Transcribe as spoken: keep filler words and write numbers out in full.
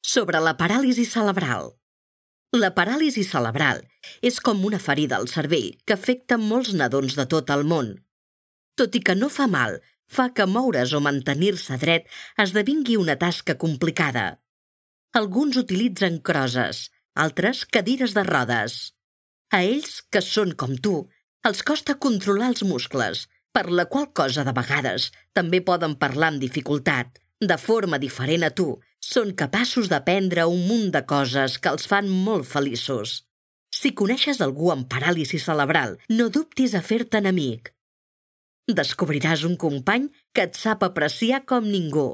sobre la paràlisi cerebral. La paràlisi cerebral és com una ferida al cervell que afecta molts nadons de tot el món. Tot i que no fa mal, fa que moure's o mantenir-se dret esdevingui una tasca complicada. Alguns utilitzen crosses, altres cadires de rodes. A ells, que són com tu, els costa controlar els muscles, per la qual cosa de vegades també poden parlar amb dificultat. De forma diferent a tu, són capaços d'aprendre un munt de coses que els fan molt feliços. Si coneixes algú amb paràlisi cerebral, no dubtis a fer-te'n amic. Descobriràs un company que et sap apreciar com ningú.